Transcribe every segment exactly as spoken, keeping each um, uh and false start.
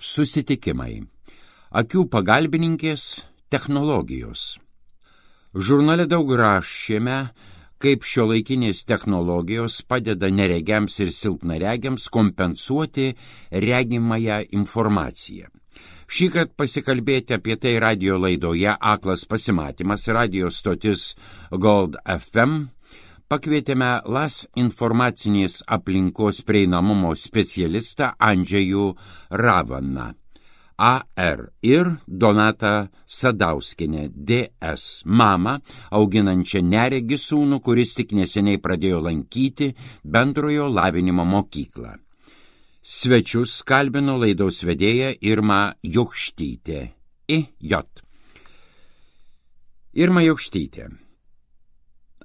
Susitikimai. Akių pagalbininkės technologijos. Žurnale daug rašėme, kaip šiuolaikinės technologijos padeda neregiams ir silpnaregiams kompensuoti regimąją informaciją. Šįkart pasikalbėti apie tai radijo laidoje Aklas pasimatymas, radijo stotis Gold F M, pakvietėme Las informacinės aplinkos prieinamumo specialistą Andžejų Ravaną, A R, ir Donatą Sadauskienę, D S, mamą, auginančią neregį sūnų, kuris tik neseniai pradėjo lankyti bendrojo lavinimo mokyklą. Svečius kalbino laidos vedėja Irma Jokštytė, I J. Irma Jokštytė.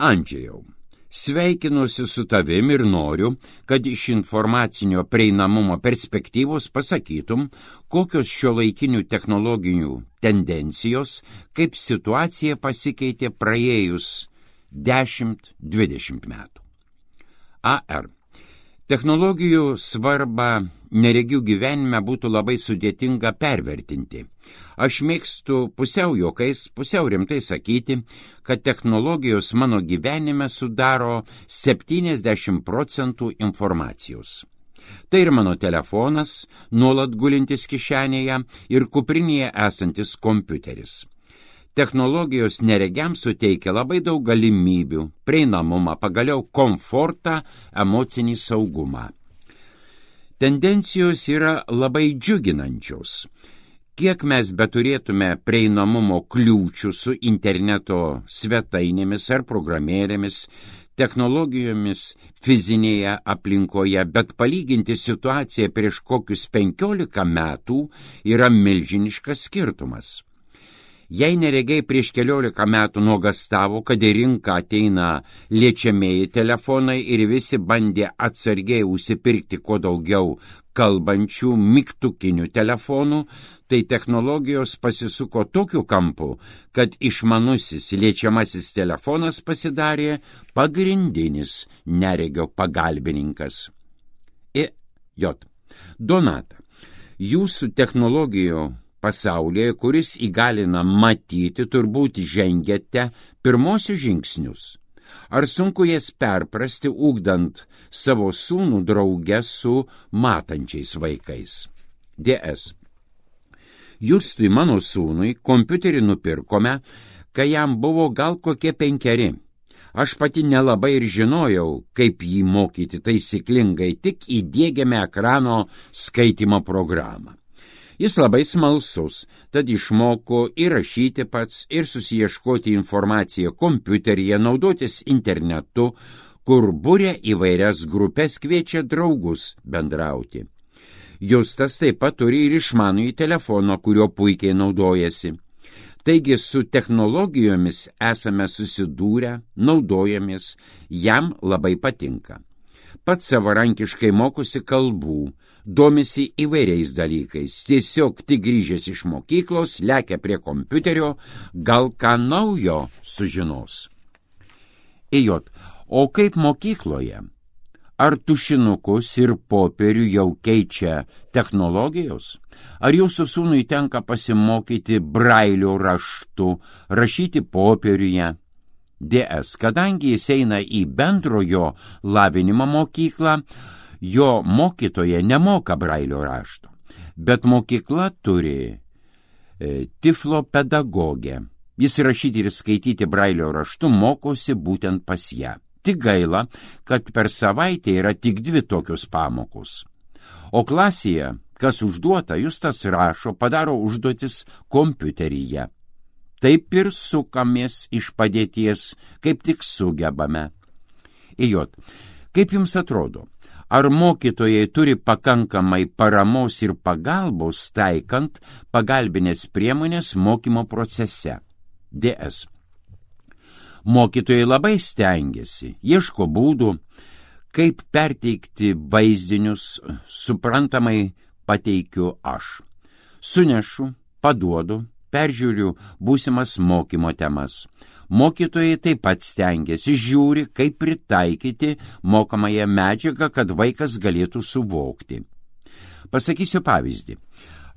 Andžejau, sveikinuosi su tavim ir noriu, kad iš informacinio prieinamumo perspektyvos pasakytum, kokios šiuolaikinių technologinių tendencijos, kaip situacija pasikeitė praėjus dešimt dvidešimt metų. A R. Technologijų svarbą neregių gyvenime būtų labai sudėtinga pervertinti. Aš mėgstu pusiau juokais, pusiau rimtai sakyti, kad technologijos mano gyvenime sudaro septyniasdešimt procentų informacijos. Tai ir mano telefonas, nuolat gulintis kišenėje, ir kuprinėje esantis kompiuteris. Technologijos neregiams suteikia labai daug galimybių, prieinamumą, pagaliau komfortą, emocinį saugumą. Tendencijos yra labai džiuginančios. Kiek mes beturėtume prieinamumo kliūčių su interneto svetainėmis ar programėlėmis, technologijomis fizinėje aplinkoje, bet palyginti situaciją prieš kokius penkiolika metų yra milžiniškas skirtumas. Jei neregiai prieš keliolika metų nuogastavo, kad į rinką ateina liečiamieji telefonai ir visi bandė atsargiai užsipirkti kuo daugiau kalbančių mygtukinių telefonų, tai technologijos pasisuko tokiu kampu, kad išmanusis liečiamasis telefonas pasidarė pagrindinis neregio pagalbininkas. I J. Donata, jūsų technologijų pasaulyje, kuris įgalina matyti, turbūt žengėte pirmosius žingsnius. Ar sunku jas perprasti, ugdant savo sūnų drauge su matančiais vaikais? D S. Justui, mano sūnui, kompiuterį nupirkome, kai jam buvo gal kokie penkeri. Aš pati nelabai ir žinojau, kaip jį mokyti taisyklingai, tik įdiegėme ekrano skaitymo programą. Jis labai smalsus, tad išmoko ir rašyti pats, ir susiieškoti informaciją kompiuteryje, naudotis internetu, kur būrė įvairias grupės, kviečia draugus bendrauti. Justas taip pat turi ir išmanųjį telefoną, kurio puikiai naudojasi. Taigi su technologijomis esame susidūrę, naudojamės, jam labai patinka. Pats savarankiškai mokosi kalbų, domisi įvairiais dalykais, tiesiog tik grįžęs iš mokyklos, lekia prie kompiuterio, gal ką naujo sužinos. I J. O kaip mokykloje? Ar tušinukus ir popierių jau keičia technologijos? Ar jūsų sūnui tenka pasimokyti brailio raštu, rašyti popieriuje? D S. Kadangi jis eina į bendrojo lavinimo mokyklą, jo mokytoja nemoka brailio rašto, bet mokykla turi e, tiflo pedagogę. Jis rašyti ir skaityti brailio raštu mokosi būtent pas ją. Tik gaila, kad per savaitę yra tik dvi tokios pamokos. O klasėje, kas užduota, Justas rašo, padaro užduotis kompiuteryje. Taip ir sukamės iš padėties, kaip tik sugebame. I J. Kaip jums atrodo? Ar mokytojai turi pakankamai paramos ir pagalbos taikant pagalbinės priemonės mokymo procese? D S. Mokytojai labai stengiasi, ieško būdų, kaip perteikti vaizdinius, suprantamai pateikiu aš. Sunešu, paduodu, peržiūriu būsimas mokymo temas. Mokytojai taip pat stengiasi, žiūri, kaip pritaikyti mokomąją medžiagą, kad vaikas galėtų suvokti. Pasakysiu pavyzdį.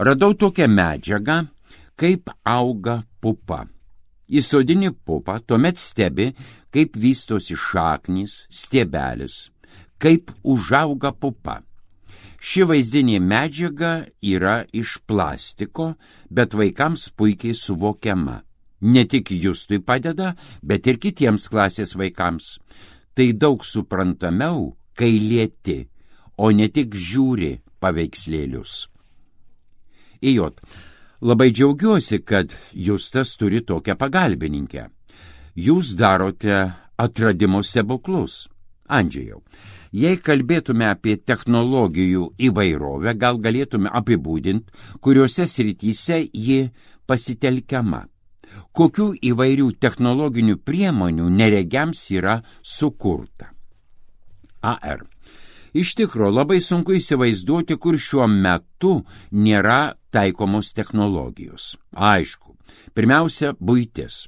Radau tokią medžiagą, kaip auga pupa. Įsodini pupą, tuomet stebi, kaip vystosi šaknys, stiebelis, kaip užauga pupa. Ši vaizdinė medžiaga yra iš plastiko, bet vaikams puikiai suvokiama. Ne tik Justui padeda, bet ir kitiems klasės vaikams. Tai daug suprantamiau, kai lieti, o ne tik žiūri paveikslėlius. Ijot, labai džiaugiuosi, kad Justas turi tokią pagalbininkę. Jūs darote atradimo stebuklus. Andžejau, jei kalbėtume apie technologijų įvairovę, gal galėtume apibūdinti, kuriuose srityse ji pasitelkiama. Kokių įvairių technologinių priemonių neregiams yra sukurta. A R. Iš tikro, labai sunku įsivaizduoti, kur šiuo metu nėra taikomos technologijos. Aišku, pirmiausia, buitis.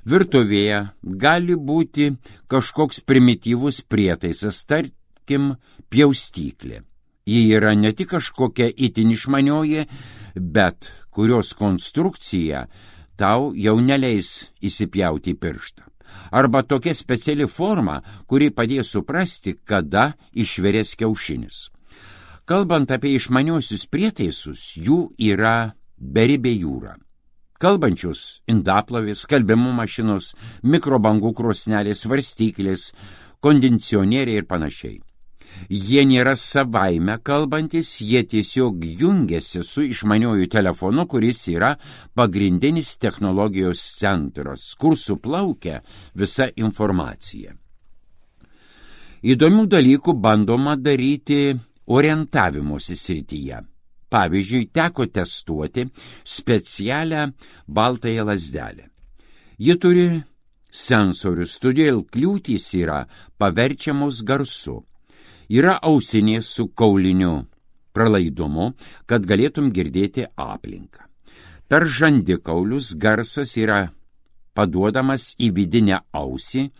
Virtuvėje gali būti kažkoks primityvus prietaisas, tarkim, pjaustyklė. Ji yra ne tik kažkokia itin išmanioji, bet kurios konstrukcija tau jau neleis įsipjauti į pirštą. Arba tokia speciali forma, kuri padės suprasti, kada išvirės kiaušinis. Kalbant apie išmaniuosius prietaisus, jų yra beribė jūra. Kalbančius indaplovės, skalbimo mašinos, mikrobangų krosnelės, svarstyklės, kondicionieriai ir panašiai. Jie nėra savaime kalbantis, jie tiesiog jungiasi su išmaniuoju telefonu, kuris yra pagrindinis technologijos centras, kur suplaukia visa informacija. Įdomių dalykų bandoma daryti orientavimosi srityje. Pavyzdžiui, teko testuoti specialią baltąją lazdelę. Ji turi sensorius, todėl kliūtys yra paverčiamos garsu. Yra ausinės su kauliniu pralaidumu, kad galėtum girdėti aplinką. Per žandikaulius garsas yra paduodamas į vidinę ausį,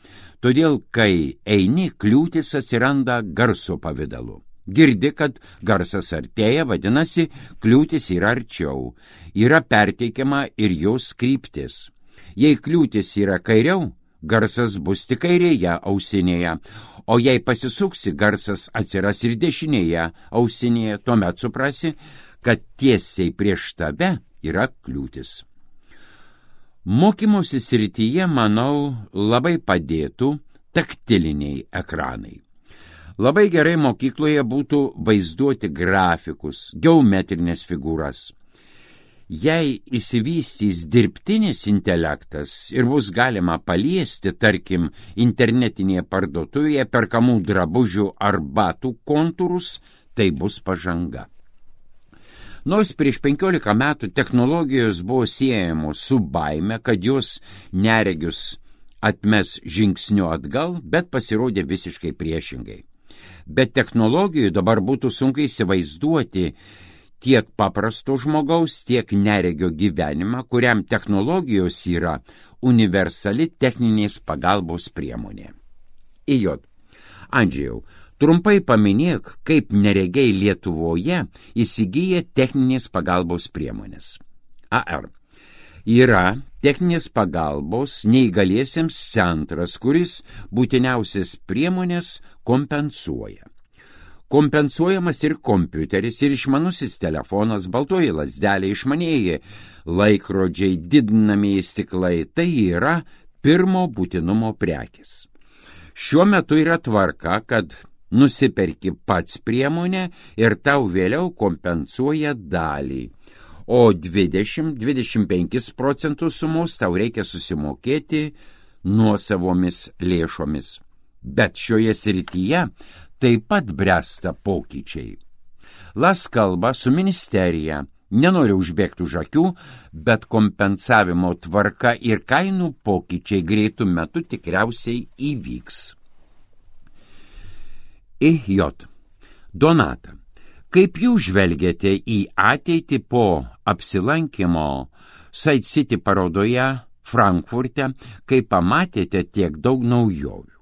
todėl, kai eini, kliūtis atsiranda garso pavidalu. Girdi, kad garsas artėja, vadinasi, kliūtis yra arčiau. Yra perteikiama ir jos kryptis. Jei kliūtis yra kairiau, garsas bus tik kairėje ausinėje, o jei pasisuksi, garsas atsiras ir dešinėje ausinėje, tuomet suprasi, kad tiesiai prieš tave yra kliūtis. Mokymosi srityje, manau, labai padėtų taktiliniai ekranai. Labai gerai mokykloje būtų vaizduoti grafikus, geometrinės figūras. Jei įsivystys dirbtinis intelektas ir bus galima paliesti, tarkim, internetinėje parduotuvėje perkamų drabužių ar batų kontūrus, tai bus pažanga. Nors prieš penkiolika metų technologijos buvo siejamos su baime, kad jos neregius atmes žingsniu atgal, bet pasirodė visiškai priešingai. Bet technologijų dabar būtų sunku įsivaizduoti tiek paprasto žmogaus, tiek neregio gyvenimą, kuriam technologijos yra universali techninės pagalbos priemonė. Ijot, Andžejau, trumpai paminėk, kaip neregiai Lietuvoje įsigyja techninės pagalbos priemonės. A R. Yra techninės pagalbos neįgaliesiems centras, kuris būtiniausias priemonės kompensuoja. Kompensuojamas ir kompiuteris, ir išmanusis telefonas, baltoji lazdelė, išmanieji laikrodžiai, didinamieji stiklai. Tai yra pirmo būtinumo prekės. Šiuo metu yra tvarka, kad nusiperki pats priemonę ir tau vėliau kompensuoja dalį. O dvidešimt iki dvidešimt penkis procentus sumos tau reikia susimokėti nuosavomis lėšomis. Bet šioje srityje taip pat bręsta pokyčiai. Las kalba su ministerija, nenoriu užbėgti už akių, bet kompensavimo tvarka ir kainų pokyčiai greitų metų tikriausiai įvyks. Ijot. Donata. Kaip jūs žvelgiate į ateitį po apsilankimo Side City parodoje Frankfurte, kai pamatėte tiek daug naujovių?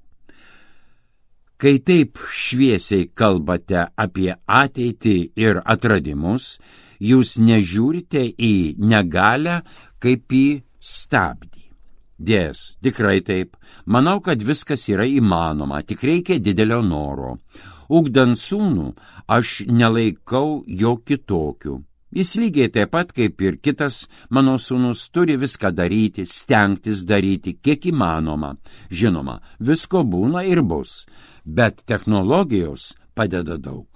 Kai taip šviesiai kalbate apie ateitį ir atradimus, Jūs nežiūrite į negalę kaip į stabdį. Dės, tikrai taip. Manau, kad viskas yra įmanoma, tik reikia didelio noro. Ugdant sūnų, aš nelaikau jo kitokiu. Jis lygiai taip pat kaip ir kitas mano sūnus turi viską daryti, stengtis daryti, kiek įmanoma. Žinoma, visko būna ir bus, bet technologijos padeda daug.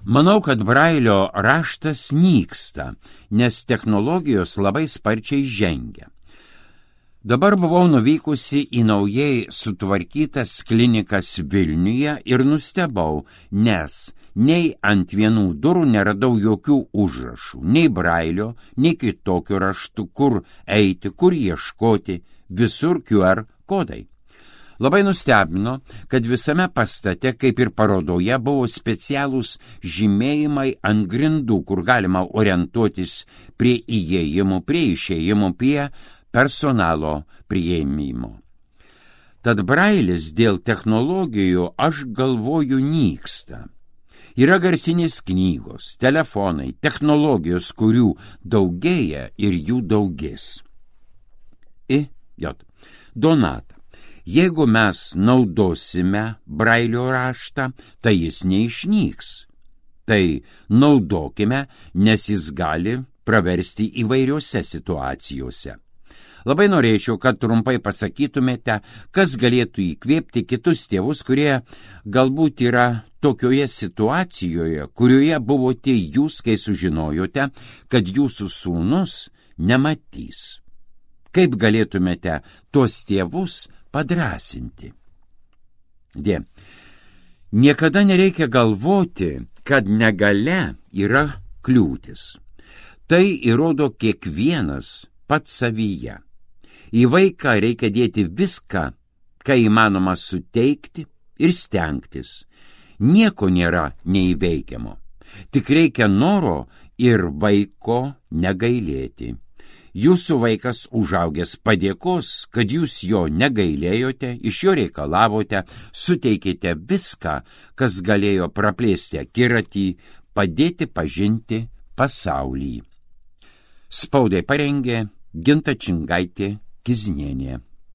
Manau, kad Brailio raštas nyksta, nes technologijos labai sparčiai žengia. Dabar buvau nuvykusi į naujai sutvarkytas klinikas Vilniuje ir nustebau, nes nei ant vienų durų neradau jokių užrašų, nei Brailio, nei kitokių raštų, kur eiti, kur ieškoti, visur Q R kodai. Labai nustebino, kad visame pastate, kaip ir parodoje, buvo specialūs žymėjimai ant grindų, kur galima orientuotis prie įėjimų, prie išėjimų, prie personalo priėmimo. Tad Brailis dėl technologijų, aš galvoju, nyksta. Yra garsinės knygos, telefonai, technologijos, kurių daugėja ir jų daugės. I, jot, Donata. Jeigu mes naudosime Brailio raštą, tai jis neišnyks. Tai naudokime, nes jis gali praversti įvairiose situacijose. Labai norėčiau, kad trumpai pasakytumėte, kas galėtų įkvėpti kitus tėvus, kurie galbūt yra tokioje situacijoje, kurioje buvote jūs, kai sužinojote, kad jūsų sūnus nematys. Kaip galėtumėte tuos tėvus padrąsinti? Dė. Niekada nereikia galvoti, kad negalia yra kliūtis. Tai įrodo kiekvienas pats savyje. Į vaiką reikia dėti viską, ką įmanoma suteikti ir stengtis. Nieko nėra neįveikiamo. Tik reikia noro ir vaiko negailėti. Jūsų vaikas užaugęs padėkos, kad jūs jo negailėjote, iš jo reikalavote, suteikėte viską, kas galėjo praplėsti akiratį, padėti pažinti pasaulį. Spaudai parengė Ginta Čingaitė Kiznienė.